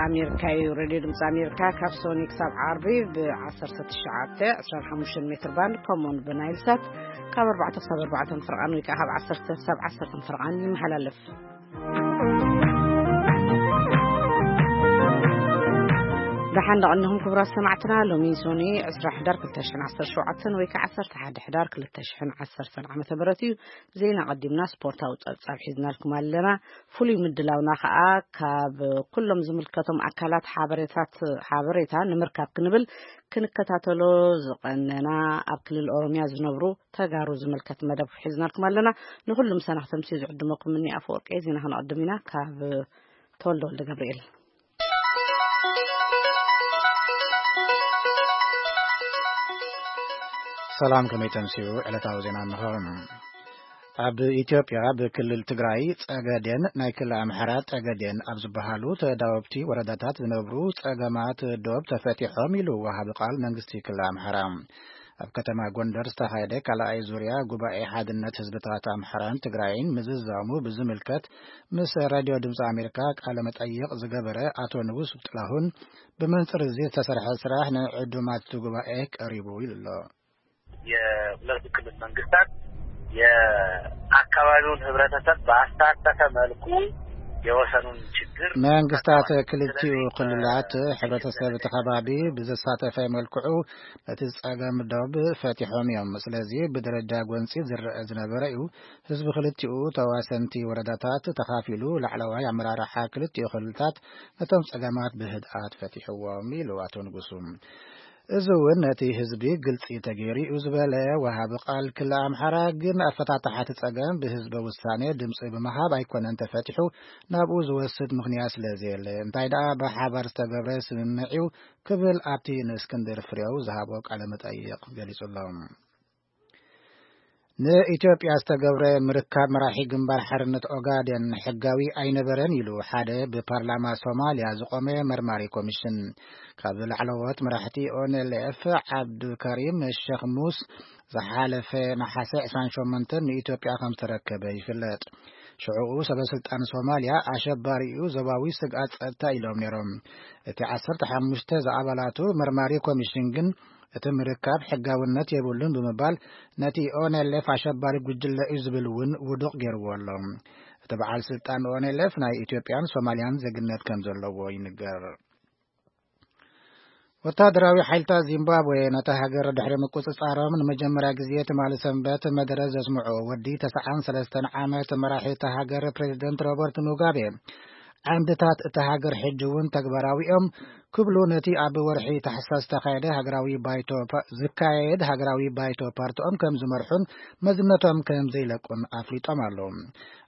ኣሜሪካ እዩ። ሬድዮ ድምፂ ኣሜሪካ ካብ ሶኒ ክሳብ ዓርቢ ብ19፣ 25 ሜትር ባንድ፣ ከምኡውን ብናይል ሳት ካብ 4 ክሳብ 4 ፍርቓን ወይ ከዓ ካብ 10 ክሳብ 10 ፍርቓን ይመሓላለፍ። ደሓን ደቐንኹም ክቡራት ሰማዕትና። ሎሚ ሶኒ 20 ሕዳር 2017 ወይ ከዓ 11 ሕዳር 2010 ዓመተ ምህረት እዩ። ዜና ቀዲምና ስፖርታዊ ጸብጻብ ሒዝናልኩም ኣለና። ፍሉይ ምድላውና ከኣ ካብ ኩሎም ዝምልከቶም ኣካላት ሓበሬታት-፣ ሓበሬታ ንምርካብ ክንብል ክንከታተሎ ዝቐነና ኣብ ክልል ኦሮምያ ዝነብሩ ተጋሩ ዝምልከት መደብ ሒዝናልኩም ኣለና። ንኹሉም ሰናኽተምሲ ዝዕድመኩም እኒ ኣፈወርቂ ዜና ክነቐድም ኢና ካብ ተወልደ ወልደ ገብርኤል። ሰላም፣ ከመይ ተምስዩ? ዕለታዊ ዜና እንሆ። ኣብ ኢትዮጵያ ብክልል ትግራይ ጸገዴን ናይ ክልል ኣምሓራ ጠገዴን ኣብ ዝበሃሉ ተዳወብቲ ወረዳታት ዝነብሩ ጸገማት ዶብ ተፈቲሖም ኢሉ ወሃቢ ቃል መንግስቲ ክልል ኣምሓራ። ኣብ ከተማ ጎንደር ዝተኻየደ ካልኣይ ዙርያ ጉባኤ ሓድነት ህዝብታት ኣምሓራን ትግራይን ምዝዛሙ ብዝምልከት ምስ ራድዮ ድምፂ ኣሜሪካ ቃለ መጠይቕ ዝገበረ ኣቶ ንጉስ ጥላሁን፣ ብመንፅር እዚ ዝተሰርሐ ስራሕ ንዕዱማት እቲ ጉባኤ ቀሪቡ ኢሉ ኣሎ። የሁለቱ ክልል መንግስታት የአካባቢውን ህብረተሰብ ባሳተፈ መልኩ የወሰኑን ችግር መንግስታት ክልቲኡ ክልላት ሕብረተሰብ እቲ ከባቢ ብዘሳተፈ መልክዑ ነቲ ጸገም ዶብ ፈቲሖም እዮም። ስለዚ ብደረጃ ጎንጺ ዝረአ ዝነበረ እዩ። ህዝቢ ክልቲኡ ተዋሰንቲ ወረዳታት ተኻፊሉ ላዕለዋይ ኣመራርሓ ክልቲኡ ክልላት ነቶም ጸገማት ብህድኣት ፈቲሕዎም ኢሉ ኣቶ ንጉሱ። እዚ እውን ነቲ ህዝቢ ግልጺ ተገይሩ እዩ ዝበለ ወሃቢ ቃል ክልል ኣምሓራ፣ ግን ኣፈታትሓ እቲ ጸገም ብህዝበ ውሳኔ ድምጺ ብምሃብ ኣይኮነን ተፈቲሑ፣ ናብኡ ዝወስድ ምኽንያት ስለ ዘየለ፣ እንታይ ደኣ ብሓባር ዝተገብረ ስምምዕ እዩ ክብል ኣብቲ ንእስክንድር ፍሬው ዝሃቦ ቃለ መጠይቕ ገሊጹ ኣሎ። ንኢትዮጵያ ዝተገብረ ምርካብ መራሒ ግንባር ሓርነት ኦጋዴን ሕጋዊ ኣይነበረን ኢሉ ሓደ ብፓርላማ ሶማልያ ዝቆመ መርማሪ ኮሚሽን። ካብ ላዕለዎት መራሕቲ ኦንኤልኤፍ ዓብዱልከሪም ሸኽ ሙስ ዝሓለፈ ነሓሰ 28 ንኢትዮጵያ ከም ዝተረከበ ይፍለጥ። ሽዑኡ ሰበ ስልጣን ሶማልያ ኣሸባሪኡ ዞባዊ ስግኣት ጸጥታ ኢሎም ነይሮም። እቲ 15 ዝኣባላቱ መርማሪ ኮሚሽን ግን እቲ ምርካብ ሕጋውነት የብሉን ብምባል ነቲ ኦንኤልኤፍ ኣሸባሪ ጉጅለ እዩ ዝብል እውን ውዱቕ ገይርዎ ኣሎ። እቲ በዓል ስልጣን ኦንኤልኤፍ ናይ ኢትዮጵያን ሶማልያን ዜግነት ከም ዘለዎ ይንገር። ወታደራዊ ሓይልታት ዚምባብዌ ነታ ሃገር ድሕሪ ምቁጽጻሮም ንመጀመርያ ግዜ ትማሊ ሰንበት መደረ ዘስምዑ ወዲ 93 ዓመት መራሒ እታ ሃገር ፕሬዚደንት ሮበርት ሙጋቤ፣ ዓንድታት እታ ሃገር ሕጂ እውን ተግባራዊ እዮም ክብሉ ነቲ ኣብ ወርሒ ታሕሳስ ዝተኻየደ ሃገራዊ ባይቶ ፓ-፣ ዝካየድ ሃገራዊ ባይቶ ፓርቲኦም ከም ዝመርሑን መዝነቶም ከም ዘይለቁን ኣፍሊጦም ኣለዉ።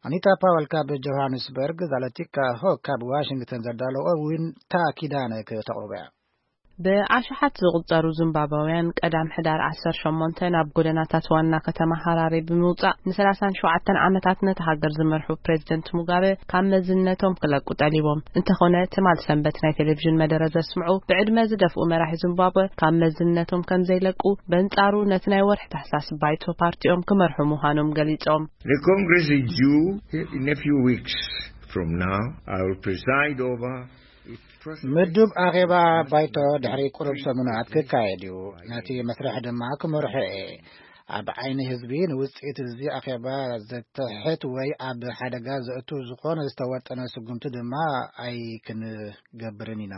ኣኒታ ፓወል ካብ ጆሃንስበርግ፣ ዛለቲካ ሆክ ካብ ዋሽንግተን ዘዳለዎ ዊንታ ኪዳነ ከተቕርቦ እያ። ብኣሽሓት ዝቑጸሩ ዚምባብያውያን ቀዳም ሕዳር 18 ናብ ጎደናታት ዋና ከተማ ሃራሬ ብምውጻእ ን37 ዓመታት ነታ ሃገር ዝመርሑ ፕሬዚደንት ሙጋበ ካብ መዝነቶም ክለቁ ጠሊቦም። እንተኾነ ትማል ሰንበት ናይ ቴሌቪዥን መደረ ዘስምዑ ብዕድመ ዝደፍኡ መራሒ ዚምባብወ ካብ መዝነቶም ከም ዘይለቁ፣ በንጻሩ ነቲ ናይ ወርሒ ታሕሳስ ባይቶ ፓርቲኦም ክመርሑ ምዃኖም ገሊጾም። The Congress is due in a few weeks from now. I will preside over ምዱብ ኣኼባ ባይቶ ድሕሪ ቁሩብ ሰሙናት ክካየድ እዩ። ነቲ መስርሕ ድማ ክመርሖ እየ። ኣብ ዓይኒ ህዝቢ ንውጽኢት እዚ ኣኼባ ዘትሕት ወይ ኣብ ሓደጋ ዘእቱ ዝኾነ ዝተወጠነ ስጉምቲ ድማ ኣይክንገብርን ኢና።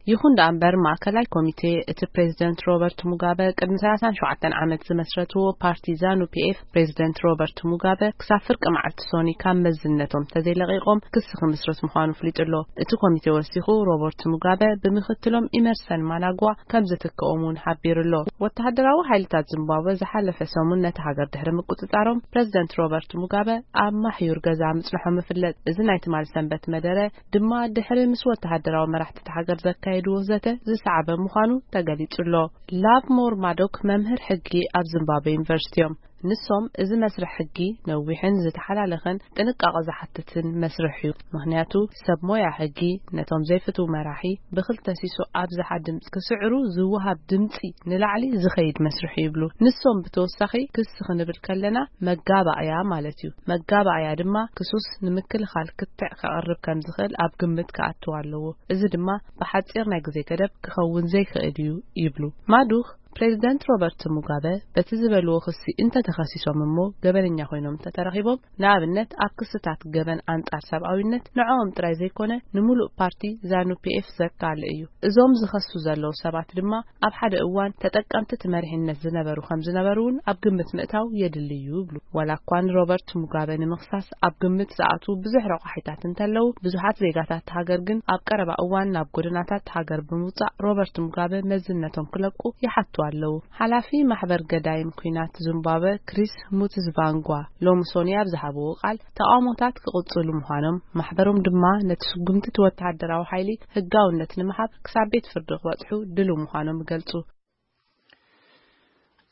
ይኹን ደኣ እምበር፣ ማእከላይ ኮሚቴ እቲ ፕሬዚደንት ሮበርት ሙጋበ ቅድሚ 37 ዓመት ዝመስረትዎ ፓርቲ ዛኑ ፒኤፍ፣ ፕሬዚደንት ሮበርት ሙጋበ ክሳብ ፍርቂ መዓልቲ ሶኒ ካብ መዝነቶም ተዘይለቒቖም ክሲ ክምስርት ምዃኑ ኣፍሊጡ ኣሎ። እቲ ኮሚቴ ወሲኹ፣ ሮበርት ሙጋበ ብምክትሎም ኢመርሰን ማናጓ ከም ዝትክኦም እውን ሓቢሩ ኣሎ። ወተሃደራዊ ሓይልታት ዚምባብወ ዝሓለፈ ሰሙን ነቲ ሃገር ድሕሪ ምቁጽጻሮም፣ ፕሬዚደንት ሮበርት ሙጋበ ኣብ ማሕዩር ገዛ ምጽንሖም ይፍለጥ። እዚ ናይ ትማል ሰንበት መደረ ድማ ድሕሪ ምስ ወተሃደራዊ መራሕቲ እታ ሃገር ዘካየድዎ ዘተ ዝሰዓበ ምዃኑ ተገሊጹ ኣሎ። ላቭሞር ማዶክ መምህር ሕጊ ኣብ ዚምባብወ ዩኒቨርሲቲ እዮም። ንሶም፣ እዚ መስርሕ ሕጊ ነዊሕን ዝተሓላለኸን ጥንቃቐ ዝሓትትን መስርሕ እዩ። ምኽንያቱ፣ ሰብ ሞያ ሕጊ ነቶም ዘይፍትው መራሒ ብኽልተ ሲሶ ኣብዝሓ ድምፂ ክስዕሩ ዝወሃብ ድምፂ ንላዕሊ ዝኸይድ መስርሕ እዩ ይብሉ። ንሶም ብተወሳኺ ክሲ ክንብል ከለና መጋባእያ ማለት እዩ። መጋባእያ ድማ ክሱስ ንምክልኻል ክትዕ ከቕርብ ከም ዝኽእል ኣብ ግምት ክኣትው ኣለዎ። እዚ ድማ ብሓፂር ናይ ግዜ ገደብ ክኸውን ዘይክእል እዩ ይብሉ። ማዱኽ ፕሬዚደንት ሮበርት ሙጋበ በቲ ዝበልዎ ክሲ እንተተኸሲሶም እሞ ገበነኛ ኮይኖም እንተተረኺቦም፣ ንኣብነት ኣብ ክስታት ገበን ኣንጻር ሰብኣዊነት፣ ንዕኦም ጥራይ ዘይኮነ ንምሉእ ፓርቲ ዛኑ ፒኤፍ ዘካል እዩ። እዞም ዝኸሱ ዘለዉ ሰባት ድማ ኣብ ሓደ እዋን ተጠቀምቲ እቲ መሪሕነት ዝነበሩ ከም ዝነበሩ እውን ኣብ ግምት ምእታው የድሊ እዩ ይብሉ። ዋላ እኳ ንሮበርት ሙጋበ ንምኽሳስ ኣብ ግምት ዝኣትዉ ብዙሕ ረቋሒታት እንተለዉ፣ ብዙሓት ዜጋታት ሃገር ግን ኣብ ቀረባ እዋን ናብ ጎደናታት ሃገር ብምውጻእ ሮበርት ሙጋበ መዝነቶም ክለቁ ይሓቱ ኣለዉ። ሓላፊ ማሕበር ገዳይም ኲናት ዙምባብወ ክሪስ ሙትዝቫንጓ ሎሚ ሶኒ ኣብ ዝሃብዎ ቃል፣ ተቓውሞታት ክቕጽሉ ምዃኖም፣ ማሕበሮም ድማ ነቲ ስጉምቲ እቲ ወተሃደራዊ ሓይሊ ህጋውነት ንምሃብ ክሳብ ቤት ፍርዲ ክበጽሑ ድሉው ምዃኖም ይገልጹ።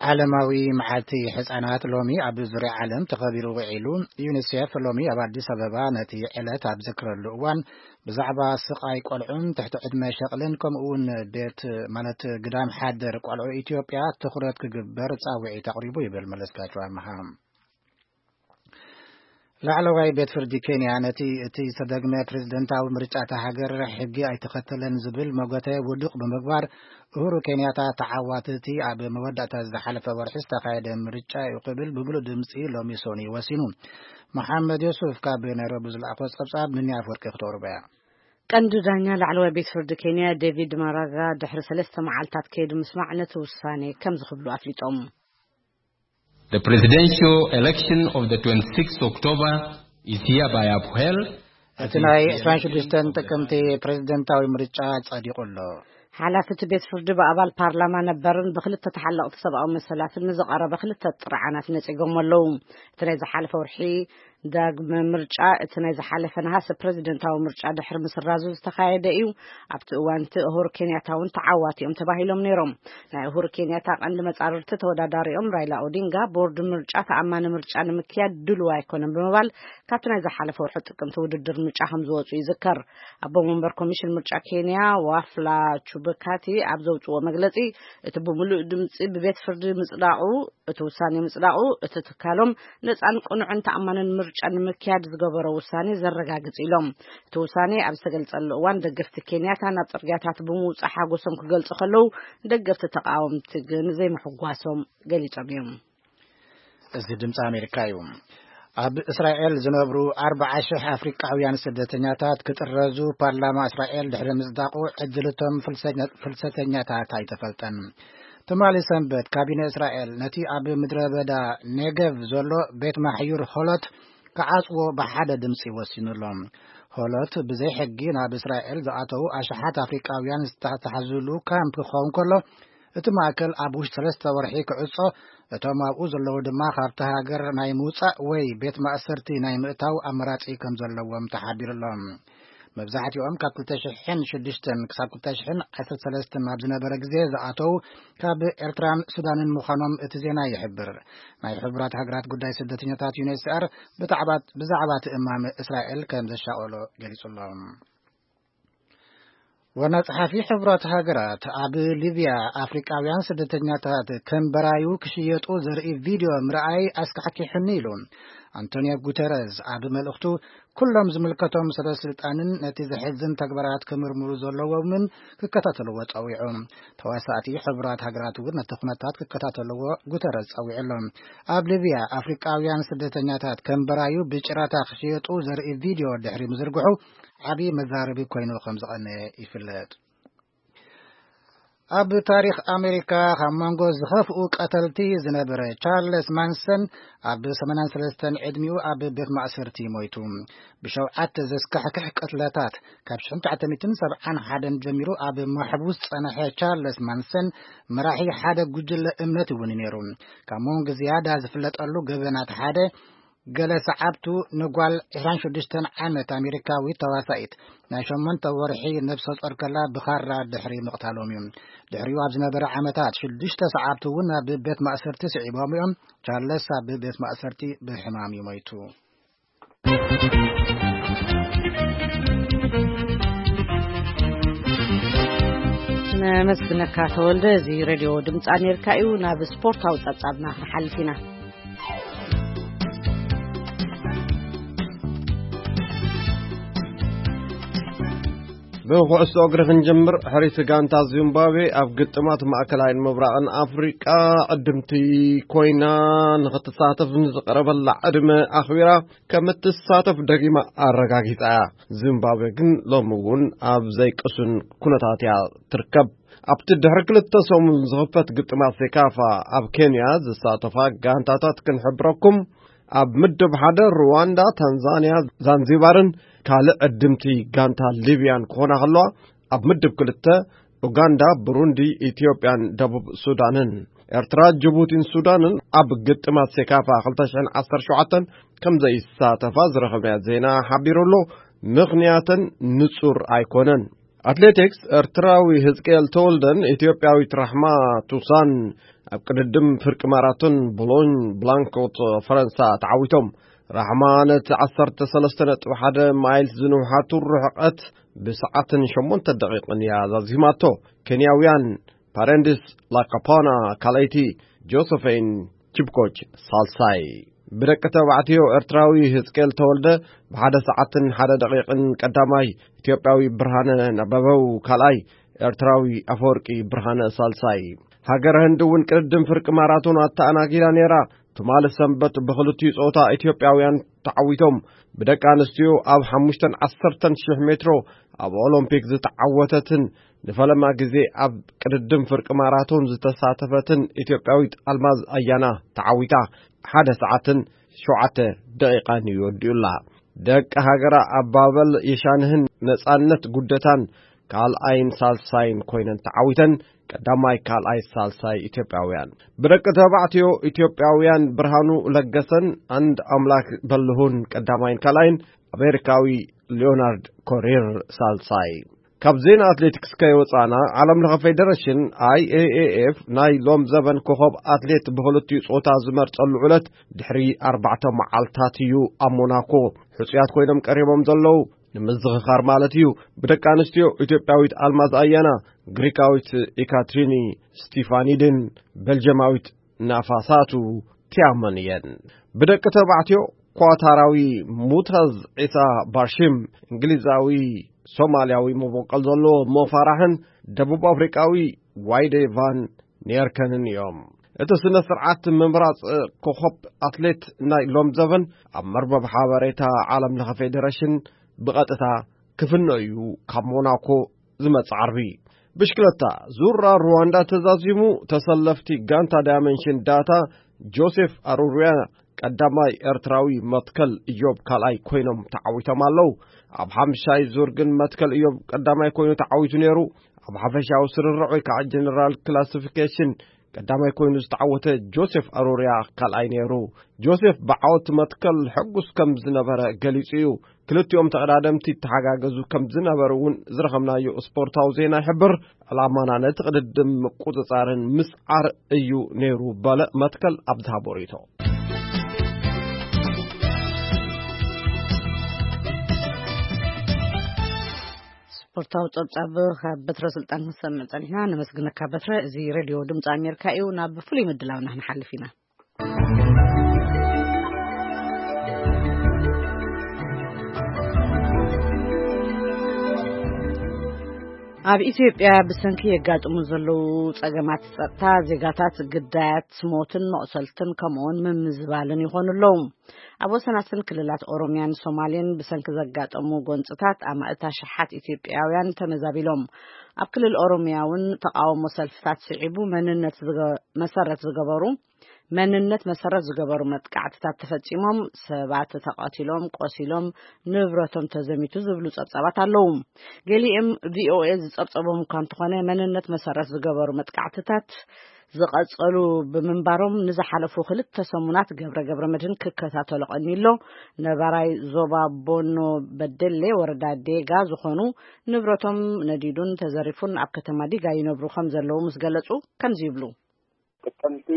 ዓለማዊ መዓልቲ ህጻናት ሎሚ ኣብ ዙርያ ዓለም ተኸቢሩ ውዒሉ። ዩኒሴፍ ሎሚ ኣብ ኣዲስ ኣበባ ነቲ ዕለት ኣብ ዝክረሉ እዋን ብዛዕባ ስቓይ ቆልዑን ትሕቲ ዕድመ ሸቕልን ከምኡ እውን ቤት ማለት ግዳም ሓደር ቆልዑ ኢትዮጵያ ትኹረት ክግበር ጻውዒት ኣቕሪቡ ይብል መለስካቸው ኣምሃ። ላዕለዋይ ቤት ፍርዲ ኬንያ ነቲ እቲ ዝተደግመ ፕሬዝደንታዊ ምርጫ እታ ሃገር ሕጊ ኣይተኸተለን ዝብል መጎተ ውዱቕ ብምግባር፣ ኡሁሩ ኬንያታ ተዓዋቲ እቲ ኣብ መወዳእታ ዝሓለፈ ወርሒ ዝተኻየደ ምርጫ እዩ ክብል ብምሉእ ድምፂ ሎሚ ሶኒ ወሲኑ። መሓመድ ዮሱፍ ካብ ናይሮቢ ዝለኣኾ ጸብጻብ ንኒ ኣፍወርቂ ክተቕርቦ እያ። ቀንዲ ዳኛ ላዕለዋይ ቤት ፍርዲ ኬንያ ዴቪድ ማራጋ ድሕሪ ሰለስተ መዓልታት ከይዱ ምስማዕ ነቲ ውሳኔ ከምዚ ክብሉ ኣፍሊጦም። The presidential election of the twenty-sixth October is hereby upheld. እቲ ናይ ዕስራን ሽዱሽተን ጥቅምቲ ፕሬዝደንታዊ ምርጫ ጸዲቑ ኣሎ። ሓላፊ እቲ ቤት ፍርዲ ብኣባል ፓርላማ ነበርን ብክልተ ተሓለቕቲ ሰብኣዊ መሰላትን ንዝቐረበ ክልተ ጥርዓናት ነጺጎም ኣለዉ። እቲ ናይ ዝሓለፈ ወርሒ ዳግመ ምርጫ፣ እቲ ናይ ዝሓለፈ ነሃሰ ፕሬዝደንታዊ ምርጫ ድሕሪ ምስራዙ ዝተኻየደ እዩ። ኣብቲ እዋን እቲ ኡሁሩ ኬንያታ እውን ተዓዋቲ እዮም ተባሂሎም ነይሮም። ናይ ኡሁሩ ኬንያታ ቀንዲ መጻርርቲ ተወዳዳሪኦም ራይላ ኦዲንጋ፣ ቦርድ ምርጫ ተኣማኒ ምርጫ ንምክያድ ድሉው ኣይኮነን ብምባል ካብቲ ናይ ዝሓለፈ ወርሒ ጥቅምቲ ውድድር ምርጫ ከም ዝወጹ ይዝከር። ኣቦ መንበር ኮሚሽን ምርጫ ኬንያ ዋፍላ ቹብካቲ ኣብ ዘውጽዎ መግለጺ፣ እቲ ብምሉእ ድምጺ ብቤት ፍርዲ ምጽዳቑ፣ እቲ ውሳኔ ምጽዳቑ፣ እቲ ትካሎም ነጻን ቅኑዕን ተኣማንን ምርጫ ንምክያድ ዝገበሮ ውሳኔ ዘረጋግጽ ኢሎም። እቲ ውሳኔ ኣብ ዝተገልጸሉ እዋን ደገፍቲ ኬንያታ ናብ ጽርግያታት ብምውጻእ ሓጎሶም ክገልጹ ከለዉ፣ ደገፍቲ ተቃወምቲ ግን ዘይምሕጓሶም ገሊጾም እዮም። እዚ ድምፂ ኣሜሪካ እዩ። ኣብ እስራኤል ዝነብሩ ኣርባዓ ሽሕ ኣፍሪቃውያን ስደተኛታት ክጥረዙ ፓርላማ እስራኤል ድሕሪ ምጽዳቑ፣ ዕድልቶም ፍልሰኛ-፣ ፍልሰተኛታት ኣይተፈልጠን። ትማሊ ሰንበት ካቢነ እስራኤል ነቲ ኣብ ምድረ በዳ ኔገቭ ዘሎ ቤት ማሕዩር ሆሎት ክዓጽዎ ብሓደ ድምፂ ወሲኑሎም። ሆሎት ብዘይ ሕጊ ናብ እስራኤል ዝኣተዉ ኣሽሓት ኣፍሪቃውያን ዝተታሕዝሉ ካምፕ ክኸውን ከሎ፣ እቲ ማእከል ኣብ ውሽጢ ሰለስተ ወርሒ ክዕጾ፣ እቶም ኣብኡ ዘለዉ ድማ ካብቲ ሃገር ናይ ምውጻእ ወይ ቤት ማእሰርቲ ናይ ምእታው ኣማራጺ ከም ዘለዎም ተሓቢሩሎም። መብዛሕትኦም ካብ ክልተ ሽሕን ሽዱሽተን ክሳብ ክልተ ሽሕን ዓሰርተ ሰለስተን ኣብ ዝነበረ ግዜ ዝኣተዉ ካብ ኤርትራን ሱዳንን ምዃኖም እቲ ዜና ይሕብር። ናይ ሕቡራት ሃገራት ጉዳይ ስደተኛታት ዩኤንኤችሲኣር ብዛዕባ፣ ብዛዕባ እቲ እማመ እስራኤል ከም ዘሻቐሎ ገሊጹ ኣሎ። ዋና ጸሓፊ ሕቡራት ሃገራት ኣብ ሊብያ ኣፍሪቃውያን ስደተኛታት ከም በራዩ ክሽየጡ ዘርኢ ቪድዮ ምርኣይ ኣስካሕኪሑኒ ኢሉ። ኣንቶኒዮ ጉተረዝ ኣብ መልእኽቱ፣ ኩሎም ዝምልከቶም ሰበ ስልጣንን ነቲ ዘሕዝን ተግባራት ክምርምሩ ዘለዎምን ክከታተልዎ ጸዊዑ። ተዋሳእቲ ሕቡራት ሃገራት እውን ነቲ ኩነታት ክከታተልዎ ጉተረዝ ጸዊዑ ኣሎ። ኣብ ሊብያ ኣፍሪቃውያን ስደተኛታት ከም በራዩ ብጭራታ ክሽየጡ ዘርኢ ቪድዮ ድሕሪ ምዝርግሑ፣ ዓቢ መዛረቢ ኮይኑ ከም ዝቐነየ ይፍለጥ። ኣብ ታሪኽ ኣሜሪካ ካብ መንጎ ዝኸፍኡ ቀተልቲ ዝነበረ ቻርለስ ማንሰን ኣብ ሰማንያን ሰለስተን ዕድሚኡ ኣብ ቤት ማእሰርቲ ሞይቱ። ብሸውዓተ ዘስካሕክሕ ቅትለታት ካብ ሽሕን ትሽዓተ ሚእትን ሰብዓን ሓደን ጀሚሩ ኣብ ማሕቡስ ዝጸንሐ ቻርለስ ማንሰን፣ መራሒ ሓደ ጉጅለ እምነት እውን ነይሩ። ካብ መንጎ ዝያዳ ዝፍለጠሉ ገበናት ሓደ፣ ገለ ሰዓብቱ ንጓል ዕስራን ሽዱሽተን ዓመት ኣሜሪካዊት ተዋሳኢት ናይ ሸሞንተ ወርሒ ነብሰ ጾር ከላ ብኻራ ድሕሪ ምቕታሎም እዩ። ድሕሪኡ ኣብ ዝነበረ ዓመታት ሽዱሽተ ሰዓብቱ እውን ኣብ ቤት ማእሰርቲ ስዒቦም እዮም። ቻርለስ ኣብ ቤት ማእሰርቲ ብሕማም እዩ ሞይቱ። ነመስግነካ ተወልደ። እዚ ሬድዮ ድምፂ ኣሜሪካ እዩ። ናብ ስፖርታዊ ጸብጻብና ክንሓልፍ ኢና። ብኩዕሶ እግሪ ክንጀምር፣ ሕሪት ጋንታ ዚምባብዌ ኣብ ግጥማት ማእከላይን ምብራቕን ኣፍሪቃ ዕድምቲ ኮይና ንኽትሳተፍ ንዝቐረበላ ዕድመ ኣኽቢራ ከም እትሳተፍ ደጊማ ኣረጋጊጻ እያ። ዚምባብዌ ግን ሎሚ እውን ኣብ ዘይቅሱን ኩነታት እያ ትርከብ። ኣብቲ ድሕሪ ክልተ ሰሙን ዝኽፈት ግጥማት ሴካፋ ኣብ ኬንያ ዝሳተፋ ጋንታታት ክንሕብረኩም፣ ኣብ ምድብ ሓደ ሩዋንዳ፣ ታንዛንያ፣ ዛንዚባርን ካልእ ዕድምቲ ጋንታ ሊብያን ክኾና ከለዋ፣ ኣብ ምድብ ክልተ ኡጋንዳ፣ ብሩንዲ፣ ኢትዮጵያን ደቡብ ሱዳንን። ኤርትራ፣ ጅቡቲን ሱዳንን ኣብ ግጥማት ሴካፋ ክልተ ሽሕን ዓሰርተ ሸውዓተን ከም ዘይሳተፋ ዝረኸብናዮ ዜና ሓቢሩ ኣሎ። ምኽንያተን ንጹር ኣይኮነን። ኣትሌቲክስ፣ ኤርትራዊ ህዝቅኤል ተወልደን ኢትዮጵያዊት ራሕማ ቱሳን ኣብ ቅድድም ፍርቂ ማራቶን ቦሎኝ ብላንኮት ፈረንሳ ተዓዊቶም። ራሕማ ነቲ ዓሰርተ ሰለስተ ነጥቢ ሓደ ማይልስ ዝንውሓቱ ርሕቀት ብሰዓትን ሸሞንተ ደቂቕን እያ ዛዚማቶ። ኬንያውያን ፓረንዲስ ላካፓና ካልኣይቲ፣ ጆሰፈይን ቺፕኮች ሳልሳይ። ብደቂ ተባዕትዮ፣ ኤርትራዊ ህዝቅኤል ተወልደ ብሓደ ሰዓትን ሓደ ደቂቕን ቀዳማይ፣ ኢትዮጵያዊ ብርሃነ ነበበው ካልኣይ፣ ኤርትራዊ ኣፈወርቂ ብርሃነ ሳልሳይ። ሃገረ ህንዲ እውን ቅድድም ፍርቂ ማራቶን ኣተኣናጊዳ ነይራ። ትማሊ ሰንበት ብኽልቲኡ ጾታ ኢትዮጵያውያን ተዓዊቶም። ብደቂ ኣንስትዮ ኣብ ሓሙሽተን ዓሰርተን ሽሕ ሜትሮ ኣብ ኦሎምፒክ ዝተዓወተትን ንፈለማ ግዜ ኣብ ቅድድም ፍርቂ ማራቶን ዝተሳተፈትን ኢትዮጵያዊት ኣልማዝ ኣያና ተዓዊታ። ሓደ ሰዓትን ሸውዓተ ደቂቓን እዩ ወዲኡላ። ደቂ ሃገራ ኣባበል የሻንህን ነጻነት ጉደታን ካልኣይን ሳልሳይን ኮይነን ተዓዊተን። ቀዳማይ፣ ካልኣይ፣ ሳልሳይ ኢትዮጵያውያን። ብደቂ ተባዕትዮ፣ ኢትዮጵያውያን ብርሃኑ ለገሰን ኣንድ ኣምላክ በልሁን ቀዳማይን ካልኣይን፣ ኣሜሪካዊ ሊዮናርድ ኮሪር ሳልሳይ። ካብ ዜና ኣትሌቲክስ ከይወጻና፣ ዓለም ለኸ ፌደሬሽን፣ ኣይኤኤኤፍ፣ ናይ ሎም ዘበን ኮኸብ ኣትሌት ብኽልቲኡ ጾታ ዝመርጸሉ ዕለት ድሕሪ ኣርባዕተ መዓልታት እዩ ኣብ ሞናኮ። ሕጹያት ኮይኖም ቀሪቦም ዘለዉ፣ ንምዝኽኻር ማለት እዩ፣ ብደቂ ኣንስትዮ ኢትዮጵያዊት ኣልማዝ ኣያና፣ ግሪካዊት ኢካትሪኒ ስቲፋኒድን ቤልጅማዊት ናፋሳቱ ቲያመን እየን። ብደቂ ተባዕትዮ፣ ኳታራዊ ሙታዝ ዒሳ ባርሺም፣ እንግሊዛዊ ሶማልያዊ መበቆል ዘለዎ ሞፋራሕን ደቡብ ኣፍሪቃዊ ዋይዴ ቫን ኔርከንን እዮም። እቲ ስነ ስርዓት ምምራጽ ኮኸብ ኣትሌት ናይ ሎም ዘበን ኣብ መርበብ ሓበሬታ ዓለም ለኸ ፌዴሬሽን ብቐጥታ ክፍኖ እዩ፣ ካብ ሞናኮ ዝመጽእ ዓርቢ። ብሽክለታ፣ ዙራ ሩዋንዳ ተዛዚሙ። ተሰለፍቲ ጋንታ ዳይመንሽን ዳታ፣ ጆሴፍ ኣሩሩያ ቀዳማይ ኤርትራዊ፣ መትከል እዮብ ካልኣይ ኮይኖም ተዓዊቶም ኣለዉ። ኣብ ሓምሻይ ዙር ግን መትከል እዮብ ቀዳማይ ኮይኑ ተዓዊቱ ነይሩ። ኣብ ሓፈሻዊ ስርርዕ ወይ ከዓ ጀነራል ክላሲፊኬሽን ቀዳማይ ኮይኑ ዝተዓወተ ጆሴፍ ኣሮርያ ካልኣይ ነይሩ። ጆሴፍ ብዓወት መትከል ሕጉስ ከም ዝነበረ ገሊጹ እዩ። ክልቲኦም ተቐዳደምቲ ይተሓጋገዙ ከም ዝነበሩ እውን ዝረኸብናዮ ስፖርታዊ ዜና ይሕብር። ዕላማና ነቲ ቅድድም ምቁጽጻርን ምስዓር እዩ ነይሩ፣ በለ መትከል ኣብ ዝሃቦ ርእይቶ። ስፖርታዊ ጸብጻብ ካብ በትረ ስልጣን ክንሰምዕ ጸኒሕና። ነመስግነካ በትረ። እዚ ሬድዮ ድምፂ ኣሜሪካ እዩ። ናብ ፍሉይ ምድላውና ክንሓልፍ ኢና። ኣብ ኢትዮጵያ ብሰንኪ የጋጥሙ ዘለዉ ጸገማት ጸጥታ፣ ዜጋታት ግዳያት ሞትን መቑሰልትን ከምኡውን ምምዝባልን ይኾኑ ኣለዉ። ኣብ ወሰናስን ክልላት ኦሮሚያን ሶማሌን ብሰንኪ ዘጋጠሙ ጎንጽታት ኣማእት ኣሽሓት ኢትዮጵያውያን ተመዛቢሎም። ኣብ ክልል ኦሮሚያ እውን ተቃውሞ ሰልፍታት ስዒቡ መንነት ዝገ-፣ መሰረት ዝገበሩ፣ መንነት መሰረት ዝገበሩ መጥቃዕትታት ተፈጺሞም፣ ሰባት ተቐቲሎም፣ ቆሲሎም፣ ንብረቶም ተዘሚቱ ዝብሉ ጸብጻባት ኣለዉ። ገሊኦም ቪኦኤ ዝጸብጸቦም እኳ እንተኾነ፣ መንነት መሰረት ዝገበሩ መጥቃዕትታት ዝቐጸሉ ብምንባሮም፣ ንዝሓለፉ ክልተ ሰሙናት ገብረ ገብረ መድህን ክከታተሎ ቀኒሎ። ነባራይ ዞባ ቦኖ በደሌ ወረዳ ዴጋ ዝኾኑ ንብረቶም ነዲዱን ተዘሪፉን ኣብ ከተማ ዲጋ ይነብሩ ከም ዘለዉ ምስ ገለጹ፣ ከምዚ ይብሉ። ጥቅምቲ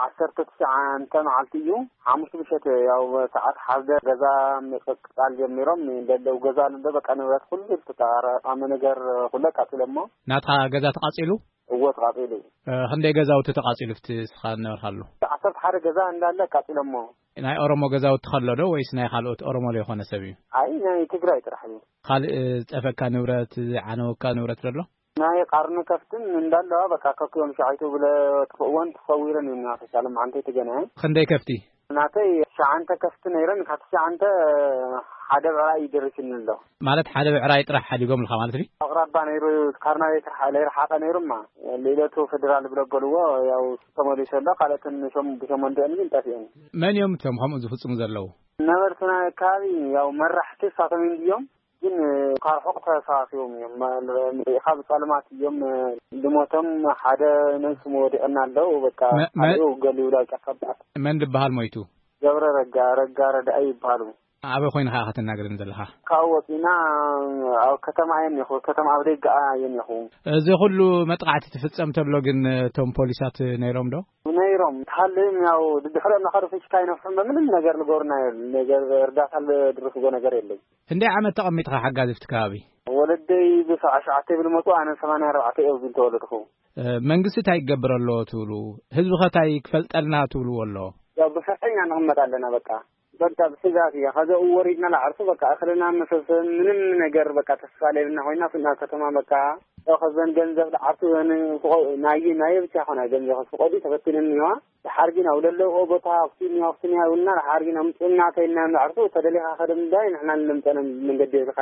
ዓሰርተ ትሽዓተ መዓልቲ እዩ። ሓሙስ ምሸት ያው ሰዓት ሓደ ገዛ ምቅቃል ጀሚሮም፣ እንደለው ገዛ ኣሎ፣ በቃ ንብረት ኩሉ ተጣረ፣ ኣመ ነገር ኩሉ ኣቃጺሎሞ። ናትኻ ገዛ ተቃጺሉ? እዎ፣ ተቃጺሉ። እ፣ ክንደይ ገዛውቲ ተቃጺሉ ኣብቲ እስኻ ዝነበርካሉ? ዓሰርተ ሓደ ገዛ እንዳለ ኣቃጺሎሞ። ናይ ኦሮሞ ገዛውቲ ከሎ ዶ ወይስ ናይ ካልኦት ኦሮሞ ዘይኮነ ሰብ እዩ? ኣይ፣ ናይ ትግራይ ጥራሕ እዩ። ካልእ፣ እ፣ ዝጠፈካ ንብረት፣ ዝዓነወካ ንብረት ዘሎ? ናይ ቃርኒ ከፍትን እንዳለዋ በቃ ከኪዮም ሸዓይቱ ብለ ትኽእወን ተሰዊረን እዩ። ናተይ ሳሎም ዓንተይ ተገናየ። ክንደይ ከፍቲ? ናተይ ሸዓንተ ከፍቲ ነይረን፣ ካብ ሸዓንተ ሓደ ብዕራይ እዩ ደሪስኒ ኣሎ። ማለት ሓደ ብዕራይ ጥራሕ ሓዲጎም ልካ ማለት እዩ? ኣቕራባ ነይሩ፣ ካብ ናበይ ክርሓ-፣ ዘይረሓቐ ነይሩማ። ልኢለቱ ፌደራል ብሎ በልዎ፣ ያው ተመሊሱ ኣሎ። ካልኦትን ሸም-፣ ብሸሞንተአን ግን ጠፊአን። መን እዮም እቶም ከምኡ ዝፍጽሙ ዘለዉ? ነበርቲ ናይ ከባቢ ያው መራሕቲ እሳቶም እዮም ድዮም? ግን ካብ ርሑቕ ተሰባሲቦም እዮም። ማ-፣ ርኢኻ ብጸልማት እዮም ልሞቶም። ሓደ ነብሱ ወዲቕና ኣለዉ። በቃ መ-፣ መ-፣ ሓደ ገሊኡ ላብ ጫካ በኣት። መን ዝበሃል ሞይቱ? ገብረ ረጋ፣ ረጋ ረዳኢ ይበሃሉ። ኣበይ ኮይንኻ ኢኻ ትናገረኒ ዘለኻ? ካብኡ ወጺእና ኣብ ከተማ እየ እኒኹ፣ ከተማ ኣብ ደገኣ እየ እኒኹ። እዚ ኩሉ መጥቃዕቲ ትፍጸም ተሎ ግን እቶም ፖሊሳት ነይሮም ዶ? ነይሮም። ተሃልዮም ያው ድድሕሮ እናኸዱ ፍሽካ ይነፍሑም፣ በምንም ነገር ልገብሩና የለን። ነገር እርዳታ ልድርፍዎ ነገር የለይ። ክንደይ ዓመት ተቐሚጥኻ ሓጋዚ ኣብቲ ከባቢ? ወለደይ ብሰብዓ ሸውዓተ ይብል መጹ፣ ኣነ ሰማንያ ኣርባዕተ እየ ኣብዚ ዝተወለድኩ። እ፣ መንግስቲ እንታይ ይገብር ኣሎ ትብሉ? ህዝቢ ኸ እንታይ ክፈልጠልና ትብልዎ ኣሎ? ያው ብፍርሒ ኢና ንቕመጥ ኣለና በቃ። በቃ ብስጋት እያ። ከዛ ወሪድና ንዓርሱ በቃ እኽልና መሰሰ ምንም ነገር በቃ ተስፋ ለይብልና ኮይና ፍና ከተማ በቃ ከዘን ገንዘብ ንዓርሱ ዘን ፍቆ-፣ ናይ፣ ናይ ብቻ ኾና ገንዘብ ፍቆዲ ተፈቲነን እኒዋ። ድሓር ግን ኣብ ለለዎ ቦታ ኣኽሱም እያ፣ ኣኽሱም እያ ይብሉና። ድሓር ግን ኣምፅኡና ተይልና ንዓርሱ ተደሊኻ ከደም ዳይ ንሕና ንምፀነ መንገዲ ኢልካ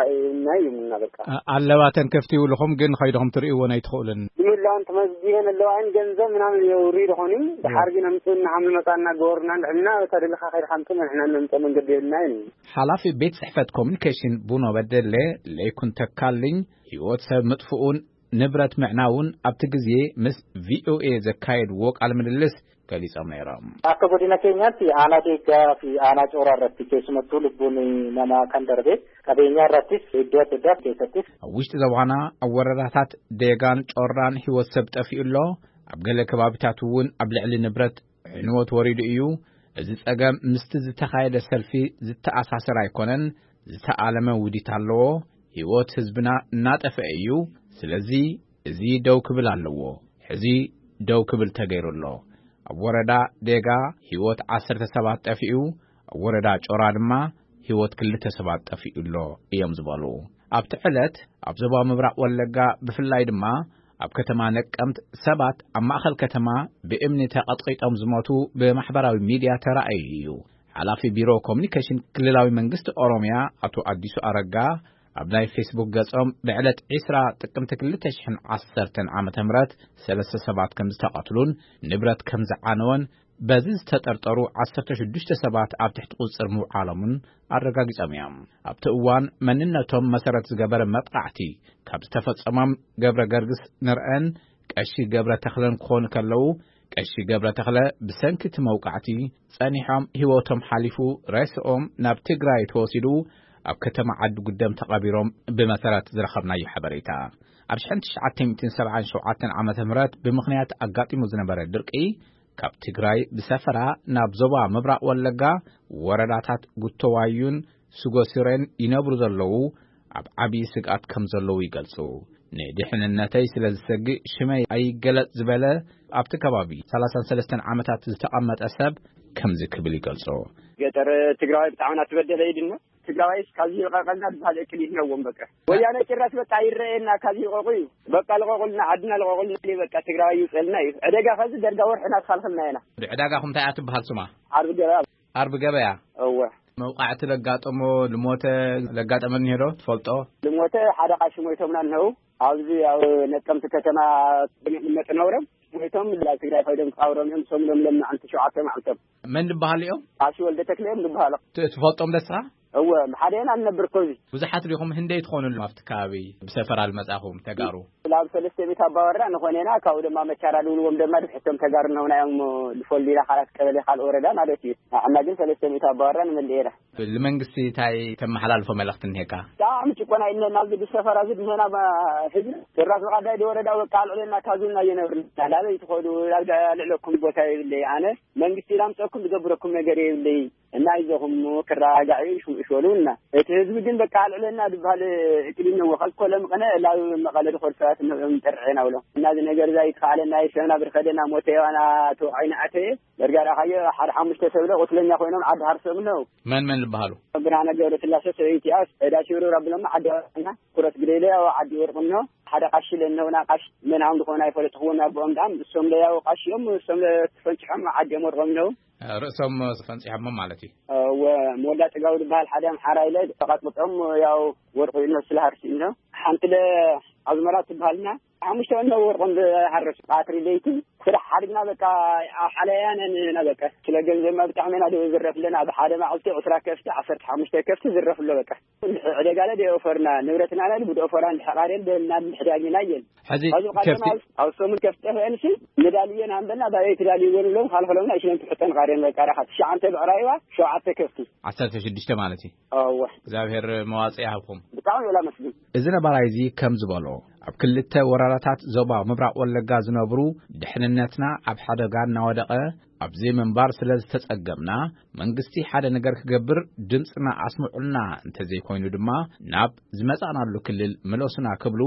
ናይ ይብሉና በቃ። ኣ-፣ ኣለባተን ከፍቲ ይብልኹም ግን ኸይድኹም ትርእይወን ኣይትኽእሉን። ብምህላውን ተመዝጊበን ኣለዋ እየን ገንዘብ ምናምን የውሪ ዝኾኑ። ድሓር ግን ኣምፅኡና ሃም ንመፃና ገበሩና ንሕና ተደሊኻ ከይድካ ኣምፅእ ንሕና ንምፀ መንገዲ የብልና እዩ። ሓላፊ ቤት ጽሕፈት ኮሙኒኬሽን ቡኖ በደሌ ለይኩን ተካልኝ ህይወት ሰብ ምጥፍኡን ንብረት ምዕናውን ኣብቲ ግዜ ምስ ቪኦኤ ዘካየድዎ ቃለ ምልልስ ገሊጾም ነይሮም። Akka godina keenyaatti aanaa deeggaa fi aanaa cooraa irratti keessumattuu lubbuun namaa kan darbe qabeenyaa irrattis iddoo adda addaa keessattis ኣብ ውሽጢ ዞባና ኣብ ወረዳታት ዴጋን ጮራን ህይወት ሰብ ጠፊኡ ኣሎ። ኣብ ገለ ከባቢታት እውን ኣብ ልዕሊ ንብረት ዕንወት ወሪዱ እዩ። እዚ ጸገም ምስቲ ዝተኻየደ ሰልፊ ዝተኣሳሰር ኣይኮነን። ዝተኣለመ ውዲት ኣለዎ። ህይወት ህዝብና እናጠፍአ እዩ። ስለዚ እዚ ደው ክብል ኣለዎ። ሕዚ ደው ክብል ተገይሩ ኣሎ። ኣብ ወረዳ ዴጋ ህይወት ዓሰርተ ሰባት ጠፊኡ፣ ኣብ ወረዳ ጮራ ድማ ህይወት ክልተ ሰባት ጠፊኡ ኣሎ እዮም ዝበሉ። ኣብቲ ዕለት ኣብ ዞባ ምብራቕ ወለጋ ብፍላይ ድማ ኣብ ከተማ ነቀምት ሰባት ኣብ ማእኸል ከተማ ብእምኒ ተቐጥቂጦም ዝሞቱ ብማሕበራዊ ሚድያ ተራእዩ እዩ። ሓላፊ ቢሮ ኮሙኒኬሽን ክልላዊ መንግስቲ ኦሮሚያ ኣቶ ኣዲሱ ኣረጋ ኣብ ናይ ፌስቡክ ገጾም ብዕለት ዕስራ ጥቅምቲ ክልተ ሽሕን ዓሰርተን ዓመተ ምህረት ሰለስተ ሰባት ከም ዝተቐትሉን ንብረት ከም ዝዓነወን በዚ ዝተጠርጠሩ ዓሰርተ ሽዱሽተ ሰባት ኣብ ትሕቲ ቁጽጽር ምውዓሎምን ኣረጋጊጾም እዮም። ኣብቲ እዋን መንነቶም መሰረት ዝገበረ መጥቃዕቲ ካብ ዝተፈጸሞም ገብረ ገርግስ ንርአን ቀሺ ገብረ ተኽለን ክኾኑ ከለዉ፣ ቀሺ ገብረ ተኽለ ብሰንኪ እቲ መውቃዕቲ ጸኒሖም ህይወቶም ሓሊፉ፣ ሬስኦም ናብ ትግራይ ተወሲዱ ኣብ ከተማ ዓዲ ጉደም ተቐቢሮም ብመሰረት ዝረኸብናዮ ሓበሬታ። ኣብ ሽሕን ትሽዓተ ሚእትን ሰብዓን ሸውዓተን ዓመተ ምህረት ብምኽንያት ኣጋጢሙ ዝነበረ ድርቂ ካብ ትግራይ ብሰፈራ ናብ ዞባ ምብራቕ ወለጋ ወረዳታት ጉተዋዩን ስጎሲሬን ይነብሩ ዘለዉ ኣብ ዓብዪ ስግኣት ከም ዘለዉ ይገልጹ። ንድሕንነተይ ስለ ዝሰግእ ሽመይ ኣይገለጽ ዝበለ ኣብቲ ከባቢ ሰላሳን ሰለስተን ዓመታት ዝተቐመጠ ሰብ ከምዚ ክብል ይገልጾ። ገጠር ትግራዋይ ብጣዕሚ እናተበደለ እዩ ድማ። ትግራዋይስ ካብዚ ይልቐቐልና ዝበሃል እቅድ ይህነዎም በቃ። ወያነ ጭራሽ በቃ ይረኣየና ካብዚ ይልቐቑ እዩ። በቃ ልቐቑልና፣ ዓድና ልቐቑልና፣ በቃ ትግራዋይ ይውፀልና እዩ። ዕደጋ ከዚ ደርጋ ወርሕና ዝኻልኽልና ኢና። ዕዳጋኹም እንታይ እያ ትበሃል ስማ? ዓርቢ ገበያ። ዓርቢ ገበያ? እወ። መውቃዕቲ ለጋጠሞ፣ ልሞተ ለጋጠመ እኒሄ ዶ ትፈልጦ? ልሞተ ሓደ ቃሺ ሞይቶምና እነው። ኣብዚ ኣብ ነቀምቲ ከተማ መጥ ነውረም ሞይቶም ናብ ትግራይ ኮይዶም ክቃብሮም እዮም። ሰሙሎም ለምና ዓንቲ ሸውዓተ መዓልቶም። መን ዝበሃሉ እዮም? ቃሺ ወልደ ተክለ እዮም ዝበሃሉ። ት-፣ ትፈልጦም ደስኻ? እወ፣ ብሓደ ኢና ንነብር እኮ እዚ። ብዙሓት ዲኹም ህንደይ ትኾኑ ኣለኹም ኣብቲ ከባቢ ብሰፈራ ዝመጻኹም ተጋሩ? ላብ ሰለስተ ሚእቲ ኣባወራ ንኾን ኢና፣ ካብኡ ድማ መቻራ ድብልዎም ድማ ድሕቶም ተጋሩ ነውና እዮም፣ ልፎል ዲና ካልኣት ቀበሌ ካልእ ወረዳ ማለት እዩ። ንዓና ግን ሰለስተ ሚእቲ ኣባወራ ንመልእ ኢና። ንመንግስቲ እንታይ ተመሓላልፎ መልእኽቲ እኒሄካ? ብጣዕሚ ጭቆና እዩ እኒሀና ኣብዚ ብሰፈራ እዚ እኒሀና ባ-፣ ህዝቢ። ስራስ ብቐዳይ ዲ ወረዳ በቃ ኣልዕለና ካዙልና እየነብርና። ላበይ ትኸዱ? ላብ ልዕለኩም ቦታ የብለይ። ኣነ መንግስቲ ላምፀኩም ዝገብረኩም ነገር የብለይ። እና ይዘኹም ክረጋጋዕ እዩ፣ ሽም እሽ በሉ እና። እቲ ህዝቢ ግን በቃ ኣልዕለና ዝበሃል እቅድ እነዎ። ከልኮ ለምቐነ ላብ መቐለ ድኸዱ ሰባት ንዕኦም ጠርዐና ብሎ። እና እዚ ነገር እዛ ይትኸኣለና፣ ይሰብና ብርኸደና፣ ሞተ የዋና ተወዓይና ኣተየ። በርጋዳ ካየ ሓደ ሓሙሽተ ሰብ ለ ቁስለኛ ኮይኖም ዓዲ ሃርሶም ነው። መን መን ዝበሃሉ? ብርሃነ ገብረስላሴ፣ ሰበይቲኣ፣ ዕዳ ሽብርብር ኣብሎማ ዓዲ ወርቅና፣ ኩረት ግደለ ኣብ ዓዲ ወርቅኖ፣ ሓደ ቃሺ ለነውና ቃሽ መን ሃም ዝኾነ ኣይፈለጥኽዎን ኣቦኦም ዳም፣ እሶም ለያው ቃሽዮም፣ እሶም ለተፈንጭሖም ዓዲ እዮም ወርቆም ነው። ርእሶም ፈንጺሖም ማለት እዩ። እወ፣ ሞላ ጽጋቡ ዝበሃል ሓደ ኣምሓራ ኢለ ተቐጥቅጦም ያው ወርቁ ኢልኖ ስለ ሃርሲ ኢልኖ። ሓንቲ ለ ኣዝመራ ትበሃልና ሓሙሽተ ወርቆም ዝሃረሱ ቃትሪ ለይቲ ስራሕ ሓድግና በቃ ኣብ ሓለያ ነን ኢና በቃ። ስለ ገንዘብና ብጣዕሚ ኢና ደው ዝረፍለና። ኣብ ሓደ መዓልቲ ዕስራ ከፍቲ፣ ዓሰርተ ሓሙሽተ ከፍቲ ዝረፍሎ በቃ። ዕደጋ ለ ደይ ኦፈርና ንብረትና ለ ብድ ኦፈራ እንድሕር ቃርየን ደልና እንድሕዳግና እየን። ሕዚ ኣብዚ ቃርየና ከፍቲ ኣብ፣ ኣብ ሰሙን ከፍቲ ጠፍአንሲ ንዳልየን ኣንበልና ባበይ ትዳልይዎ ንብሎም ካልፈሎምና ይሽለን ትሕጠን ቃርየን በቃ ዳኻ ትሽዓንተ ብዕራይዋ ሸውዓተ ከፍቲ። ዓሰርተ ሽዱሽተ ማለት እዩ። እወ። እግዚኣብሔር መዋጽእ ይሃብኩም። ብጣዕሚ እዩ ላመስግን። እዚ ነባራይ እዚ ከም ዝበሎ፣ ኣብ ክልተ ወረዳታት ዞባ ምብራቕ ወለጋ ዝነብሩ፣ ድሕንነትና ኣብ ሓደጋ እናወደቐ ኣብዚ ምንባር ስለ ዝተጸገምና፣ መንግስቲ ሓደ ነገር ክገብር ድምፅና ኣስምዑልና፣ እንተዘይኮይኑ ድማ ናብ ዝመጻእናሉ ክልል ምለሱና ክብሉ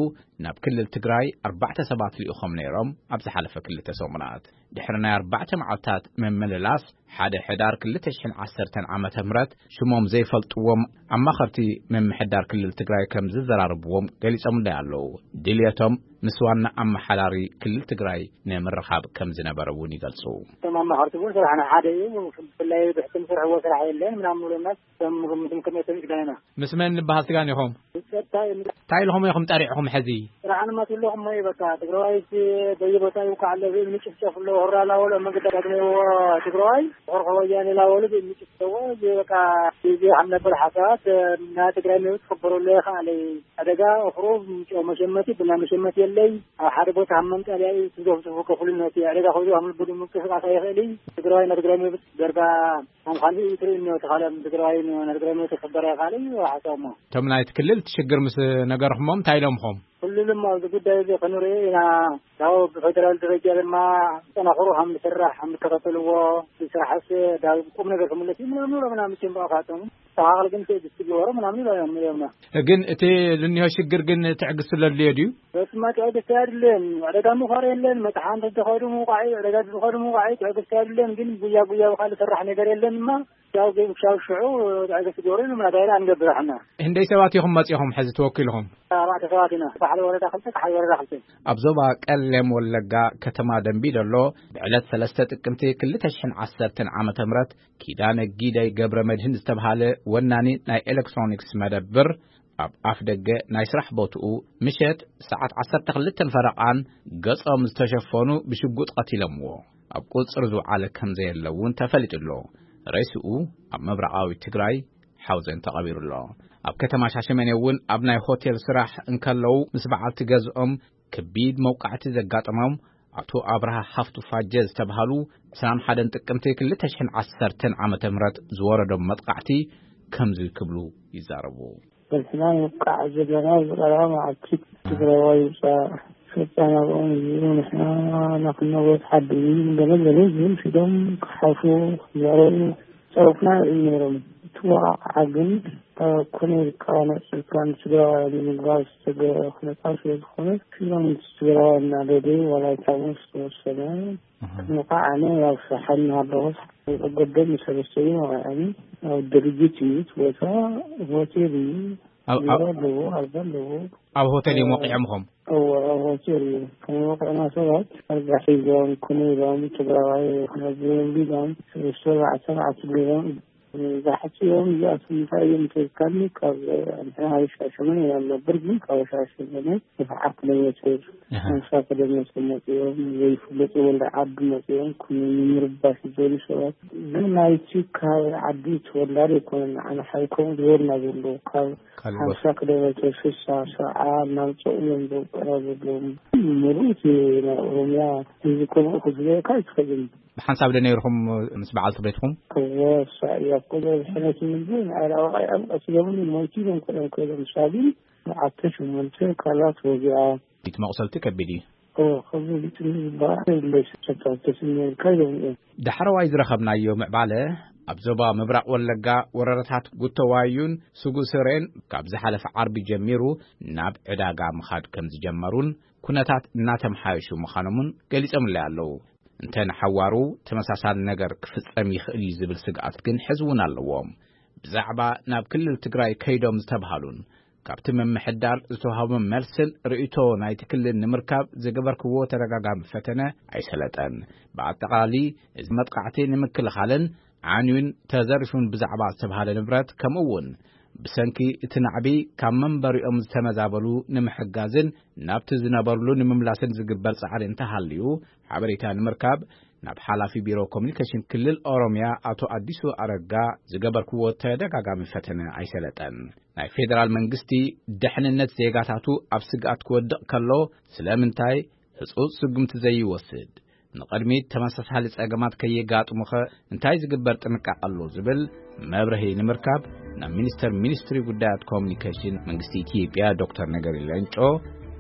ናብ ክልል ትግራይ ኣርባዕተ ሰባት ልኢኾም ነይሮም ኣብ ዝሓለፈ ክልተ ሰሙናት። ድሕሪ ናይ ኣርባዕተ መዓልታት ምምልላስ፣ ሓደ ሕዳር ክልተ ሽሕን ዓሰርተን ዓመተ ምህረት ሽሞም ዘይፈልጥዎም ኣማኸርቲ ምምሕዳር ክልል ትግራይ ከም ዝዘራርብዎም ገሊጾምለይ ኣለዉ። ድልየቶም ምስ ዋና ኣመሓዳሪ ክልል ትግራይ ንምርኻብ ከም ዝነበረ እውን ይገልጹ። እቶም ኣማኸርቲ እውን ስራሕና ሓደ እዩ፣ ብፍላይ ብሕቲ ንሰርሕዎ ስራሕ የለን ምናምን ብሎና፣ እቶም ግምትም ከመቶም ይግዳይና። ምስ መን ዝበሃል ስጋን ኢኹም? ጸጥታ እዩ። እንታይ ኢልኹም ኢኹም ጠሪዕኹም ሕዚ? ስራሕና ማትለኹም እዩ በቃ። ትግራዋይ በየቦታ ይውቃዕ ኣሎ፣ ብእምኒ ጭፍጨፍ ኣሎ፣ ሆራ ላወሎ መንገዲ ኣጋግመዎ ትግራዋይ፣ ሆርሖ ወያኔ ላወሎ ብእምኒ ጭፍጨዎ፣ እዚ በቃ፣ እዚ ሓምለበል ሓሳባት፣ ናይ ትግራይ መብት ክኽበረሉ ይኽኣል እዩ። ዕደጋ እኽሩ፣ ጨው መሸመቲ፣ ቡና መሸመቲ የለይ። ኣብ ሓደ ቦታ ሃብ መምጠልያ እዩ፣ ትዘፍዝፉ ከፍሉ ነቲ ዕደጋ ከብዱ ሃምል ብዱ ምንቅስቃስ ኣይኽእል እዩ። ትግራዋይ ናይ ትግራይ መብት ደርጋ ከም ካልእ እዩ ትርእዩ እኒኦ፣ እቲ ካልእ ትግራዋይ ን-፣ ናይ ትግራይ መብት ክኽበር ኣይኽኣል እዩ፣ ሓሳብ እሞ። እቶም ናይቲ ክልል እቲ ሽግር ምስ ነገርኹሞም እንታይ ኢሎምኹም? ኩሉም ኣብዚ ጉዳይ እዚ ክንርኢ ኢና። ያው ብፌደራል ደረጃ ድማ ጠናኽሩ ከም ዝስራሕ፣ ከም ዝከታተልዎ፣ ስራሕስ ዳግም ቁም ነገር ክምለስ እዩ ምናምን ብሎ ምናምን ጭንባቕ ካቶም። ተኻኽል ግን ትዕግስቲ ግበሩ ምናምን ይብሎም እዮም። ግን እቲ ዝኒሆ ሽግር ግን ትዕግስቲ ለድልዮ ድዩ? በስማ ትዕግስቲ ኣይድልን። ዕደጋ ምዃር የለን። መጥሓን ተዝኸዱ ምውቃዕ እዩ። ዕደጋ ተዝኸዱ ምውቃዕ እዩ። ትዕግስቲ ኣይድልን። ግን ጉያ ጉያ ብኻልእ ዝስራሕ ነገር የለን እማ። ያው ግን ክሻብ ሽዑ ትዕግስቲ ግበሩ ኢሉና። እንታይ ኢና ንገብር ኣሕና? ህንደይ ሰባት ኢኹም መጺኹም ሕዚ ተወኪልኹም? ኣርባዕተ ሰባት ኢና። ባሕሪ ወረዳ ክልተ፣ ካሕሪ ወረዳ ክልተ። ኣብ ዞባ ቀሌም ወለጋ ከተማ ደንቢ ዶሎ ብዕለት ሰለስተ ጥቅምቲ ክልተ ሽሕን ዓሰርተን ዓመተ ምህረት ኪዳነ ጊደይ ገብረ መድህን ዝተብሃለ ወናኒ ናይ ኤሌክትሮኒክስ መደብር ኣብ ኣፍ ደገ ናይ ስራሕ ቦትኡ ምሸት ሰዓት ዓሰርተ ክልተን ፈረቓን ገጾም ዝተሸፈኑ ብሽጉጥ ቀቲሎምዎ። ኣብ ቁጽሪ ዝውዓለ ከም ዘየለ እውን ተፈሊጡ ኣሎ። ሬስኡ ኣብ ምብራቓዊ ትግራይ ሓውዜን ተቐቢሩ ኣሎ። ኣብ ከተማ ሻሸመኔ እውን ኣብ ናይ ሆቴል ስራሕ እንከለዉ ምስ በዓልቲ ገዝኦም ከቢድ መውቃዕቲ ዘጋጠሞም ኣቶ ኣብርሃ ሃፍቱ ፋጀ ዝተብሃሉ ዕስራን ሓደን ጥቅምቲ ክልተ ሽሕን ዓሰርተን ዓመተ ምህረት ዝወረዶም መጥቃዕቲ ከምዚ ክብሉ ይዛረቡ። በስና ንውቃዕ ዘለና ዝቐረበ መዓልቲ ትግራዋይ ውፃእ ፈፃ ናብኦም እዩ። ንሕና ናክነቦት ሓዲ ገለ ገለ ዝብል ሒዶም ክሓፉ ክዛረቡ ጸርፍና ይርእዩ ነይሮም። እቲ ወቓቕዓ ግን ኣብ ኮነ ኢልካ ነጺልካ ንትግራዋይ ንምግባር ዝተገብረ ኩነታት ስለ ዝኾነ፣ ኩሎም ትግራዋይ እናደደዩ ዋላ ይታወስ ዝተወሰነ ክንወቃዕ ኣነ ኣብ ስራሓይ እናሃለኹ ገደም ሰለስተ እዩ ወቒዐኒ። ኣብ ድርጅት እዩ እቲ ቦታ፣ ሆቴል እዩ። ኣብ፣ ቢሮ ኣብ ኣለዎ፣ ኣልጋ ኣለዎ። ኣብ ሆቴል እዮም ወቒዖምኹም? እወ፣ ኣብ ሆቴል እዩ። ከም ወቒዕና ሰባት ኣልጋ ሒዞም፣ ኮነ ኢሎም ትግራዋይ ክነብር ቢሎም፣ ሰለስተ ኣርባዕተ መዓልቲ ገይሮም ዛሕቲ እዮም እዚኣቶም እንታይ እዮም ተዝካኒ ካብ ኣንተ ሻሸመነ እዮም ነበር ግን ካብ ሻሸመነ ሰብዓ ኪሎ ሜትር ሓምሳ ኪሎ ሜትር መፅኦም ዘይፍለጡ ወልደ ዓዲ መፅኦም ኩ ምርባሽ ዝበሉ ሰባት ግን ናይቲ ካብ ዓዲ ተወላዲ ኣይኮነን። ኣነ ሓይኮም ዝበልና ዘሎ ካብ ካልእ ቦታ ሓምሳ ኪሎ ሜትር ስሳ ሰብዓ እናምፅኡ እዮም ዘውፅእና ዘለዎም። ሙሉእ እቲ ናይ ኦሮምያ ህዝቢ ከምኡ ክዝበካ ኣይትኽእልን። ብሓንሳብ ዶ ነይርኹም ምስ በዓልቲ ቤትኩም? እወ እሳ እያ እኮ ዘብሐነት ምንድን ኣላዋቃይ ኣብ ቀትሎም ሞይቱ እዮም ከሎም ከሎም ሳቢን ዓተ ሸሞንተ ካልኣት ወዚኣ። እቲ መቑሰልቲ ከቢድ እዩ። እወ ከምዚ ግጥሚ ዝበሃል የለይ ሰብታት ተስሚርካ እዮም እዮም። ዳሕረዋይ ዝረኸብናዮ ምዕባለ ኣብ ዞባ ምብራቕ ወለጋ ወረዳታት ጉተዋዩን ስጉስሬን ካብ ዝሓለፈ ዓርቢ ጀሚሩ ናብ ዕዳጋ ምኻድ ከም ዝጀመሩን ኩነታት እናተምሓየሹ ምዃኖምን ገሊጾምለይ ኣለዉ። እንተ ንሓዋሩ ተመሳሳሊ ነገር ክፍጸም ይኽእል እዩ ዝብል ስግኣት ግን ሕዚ እውን ኣለዎም። ብዛዕባ ናብ ክልል ትግራይ ከይዶም ዝተብሃሉን ካብቲ ምምሕዳር ዝተዋህቦም መልስን ርእይቶ ናይቲ ክልል ንምርካብ ዝገበርክዎ ተደጋጋሚ ፈተነ ኣይሰለጠን። ብኣጠቓላሊ እዚ መጥቃዕቲ ንምክልኻልን ዓንዩን ተዘሪፉን ብዛዕባ ዝተብሃለ ንብረት ከምኡ እውን ብሰንኪ እቲ ናዕቢ ካብ መንበሪኦም ዝተመዛበሉ ንምሕጋዝን ናብቲ ዝነበርሉ ንምምላስን ዝግበር ጻዕሪ እንተሃልዩ ሓበሬታ ንምርካብ ናብ ሓላፊ ቢሮ ኮሚኒኬሽን ክልል ኦሮምያ ኣቶ ኣዲሱ ኣረጋ ዝገበርክዎ ተደጋጋሚ ፈተነ ኣይሰለጠን። ናይ ፌደራል መንግስቲ ድሕንነት ዜጋታቱ ኣብ ስግኣት ክወድቕ ከሎ ስለምንታይ ህጹጽ ስጉምቲ ዘይወስድ? ንቕድሚት ተመሳሳሊ ጸገማት ከየጋጥሙኸ እንታይ ዝግበር ጥንቃቐ ኣሎ? ዝብል መብርሂ ንምርካብ ናብ ሚኒስተር ሚኒስትሪ ጉዳያት ኮሚኒኬሽን መንግስቲ ኢትዮጵያ ዶክተር ነገሪ ሌንጮ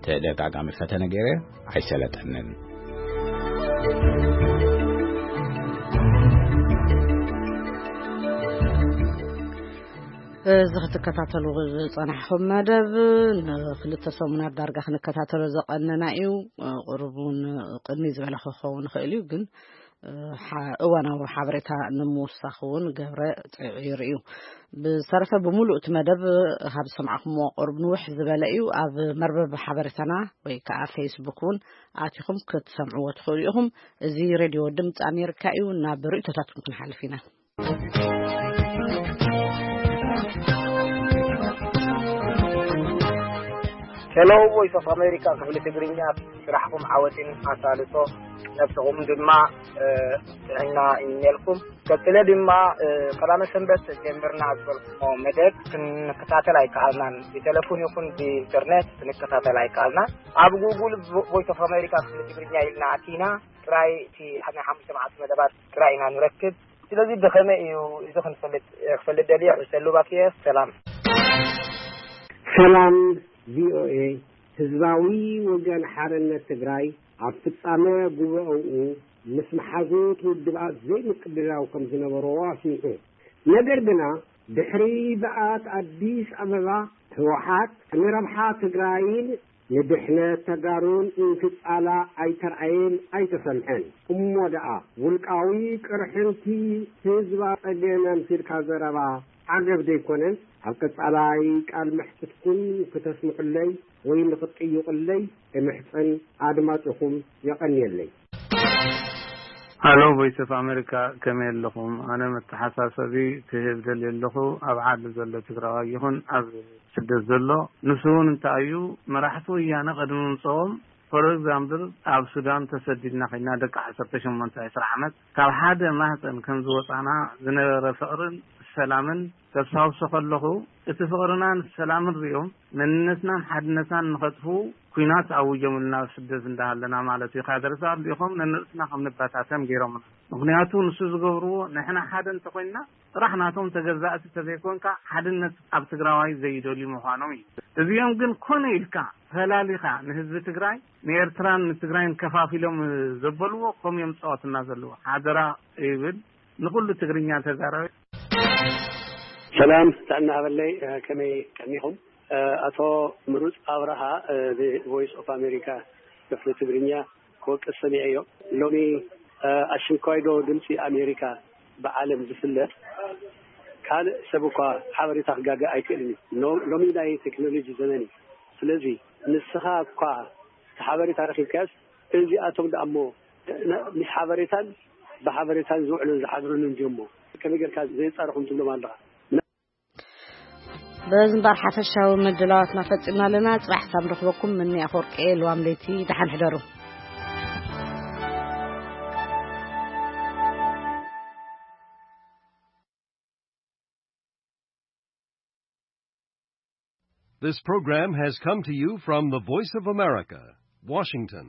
ተደጋጋሚ ፈተነ ገይረ ኣይሰለጠንን። እዚ ክትከታተሉ ዝጸናሕኹም መደብ ንክልተ ሰሙናት ዳርጋ ክንከታተሎ ዝቐነና እዩ። ቁሩብ እውን ቅድሚ ዝበለ ክኸውን ይኽእል እዩ፣ ግን እዋናዊ ሓበሬታ ንምውሳኽ እውን ገብረ ጽዒሩ እዩ። ብዝተረፈ ብምሉእ እቲ መደብ ካብ ዝሰማዕኹምዎ ቁሩብ ንውሕ ዝበለ እዩ። ኣብ መርበብ ሓበሬታና ወይ ከዓ ፌስቡክ እውን ኣቲኹም ክትሰምዕዎ ትኽእሉ ኢኹም። እዚ ሬድዮ ድምፂ ኣሜሪካ እዩ። ናብ ርእይቶታትኩም ክንሓልፍ ኢና። ሄሎ ቮይስ ኦፍ ኣሜሪካ ክፍሊ ትግርኛ፣ ስራሕኩም ዓወትን ኣሳልጦ ነብስኹም ድማ ጥዕና ይምነልኩም። ቀጥለ ድማ ቀዳመ ሰንበት ጀምርና ዝበልኩሞ መደብ ክንከታተል ኣይከኣልናን። ብቴሌፎን ይኹን ብኢንተርኔት ክንከታተል ኣይከኣልናን። ኣብ ጉጉል ቮይስ ኦፍ ኣሜሪካ ክፍሊ ትግርኛ ኢልና ኣቲና ጥራይ እቲ ናይ ሓሙሽተ መዓልቲ መደባት ጥራይ ኢና ንረክብ። ስለዚ ብኸመይ እዩ እዚ ክንፈልጥ ክፈልጥ ደልየ ሕሰሉ ባክየ። ሰላም። ሰላም ቪኦኤ። ህዝባዊ ወገን ሓርነት ትግራይ ኣብ ፍጻመ ጉባኤኡ ምስ መሓዙት ውድባት ዘይምቅብላው ከም ዝነበሮ ኣስሚዑ። ነገር ግና ድሕሪ ምጽኣት ኣዲስ ኣበባ ህወሓት ንረብሓ ትግራይን ንድሕነት ተጋሩን እንትጻላእ ኣይተርኣየን ኣይተሰምዐን። እሞ ደኣ ውልቃዊ ቅርሕንቲ ህዝባ ጸገም ኣምሲልካ ዘረባ ዓገብ ደይኮነን? ኣብ ቀጻላይ ቃል መሕትትኩም ክተስምዑለይ ወይ ንኽትጥይቑለይ እምሕጸን ኣድማጭኹም የቐንየለይ። ሃሎ ቮይስ ኦፍ ኣሜሪካ ከመይ ኣለኹም? ኣነ መተሓሳሰቢ ክህብ ደልየ ኣለኹ። ኣብ ዓዲ ዘሎ ትግራዋይ ይኹን ኣብ ስደት ዘሎ ንሱ እውን እንታይ እዩ መራሕቲ ወያነ ቅድሚ ምምፅኦም ፎር ኤግዛምፕል ኣብ ሱዳን ተሰዲድና ኮይና ደቂ ዓሰርተ ሸሞንተ ዕስራ ዓመት ካብ ሓደ ማህፀን ከም ዝወፃና ዝነበረ ፍቕርን ሰላምን ከስታውሶ ከለኹ እቲ ፍቕርናን ሰላምን ሪኦም መንነትናን ሓድነትናን ንኸጥፍኡ ኲናት ኣውጆምልና ኣብ ስደት እንዳሃለና ማለት እዩ። ካድረታት ልኢኾም ነንርእስና ከም ንበታተን ገይሮምና። ምኽንያቱ ንሱ ዝገብርዎ ንሕና ሓደ እንተኾይንና ጥራሕ ናቶም ተገዛእቲ ተዘይኮንካ ሓድነት ኣብ ትግራዋይ ዘይደልዩ ምዃኖም እዩ። እዚኦም ግን ኮነ ኢልካ ፈላሊኻ ንህዝቢ ትግራይ ንኤርትራን ንትግራይን ከፋፊሎም ዘበልዎ ከም እዮም ዝፃወቱና ዘለዎ ሓደራ ይብል ንኩሉ ትግርኛ ተዛራቢ። ሰላም ጥዕና ሃበለይ ከመይ ቀኒኹም? ኣቶ ምሩፅ ኣብርሃ ቮይስ ኦፍ ኣሜሪካ ክፍሊ ትግርኛ ክወቅስ ሰሚዐዮ። ሎሚ ኣሽንኳይ ዶ ድምፂ ኣሜሪካ ብዓለም ዝፍለጥ ካልእ ሰብ እኳ ሓበሬታ ክጋገ ኣይክእልን እዩ። ሎሚ ናይ ቴክኖሎጂ ዘመን እዩ። ስለዚ ንስኻ እኳ እቲ ሓበሬታ ረኺብካዮስ እዚኣቶም ደኣ እሞ ምስ ሓበሬታን ብሓበሬታን ዝውዕሉን ዝሓድሩን እንድዮም እሞ ከመይ ጌርካ ዘየጻረኹም ትብሎም ኣለኻ? በዚ እምበር ሓፈሻዊ ምድላዋትና ፈጺምና ኣለና። ጽባሕ ሳብ ንረኽበኩም፣ ምኒ ኣፈወርቂ፣ ልዋም ለይቲ፣ ደሓን ሕደሩ። This program has come to you from the Voice of America, Washington.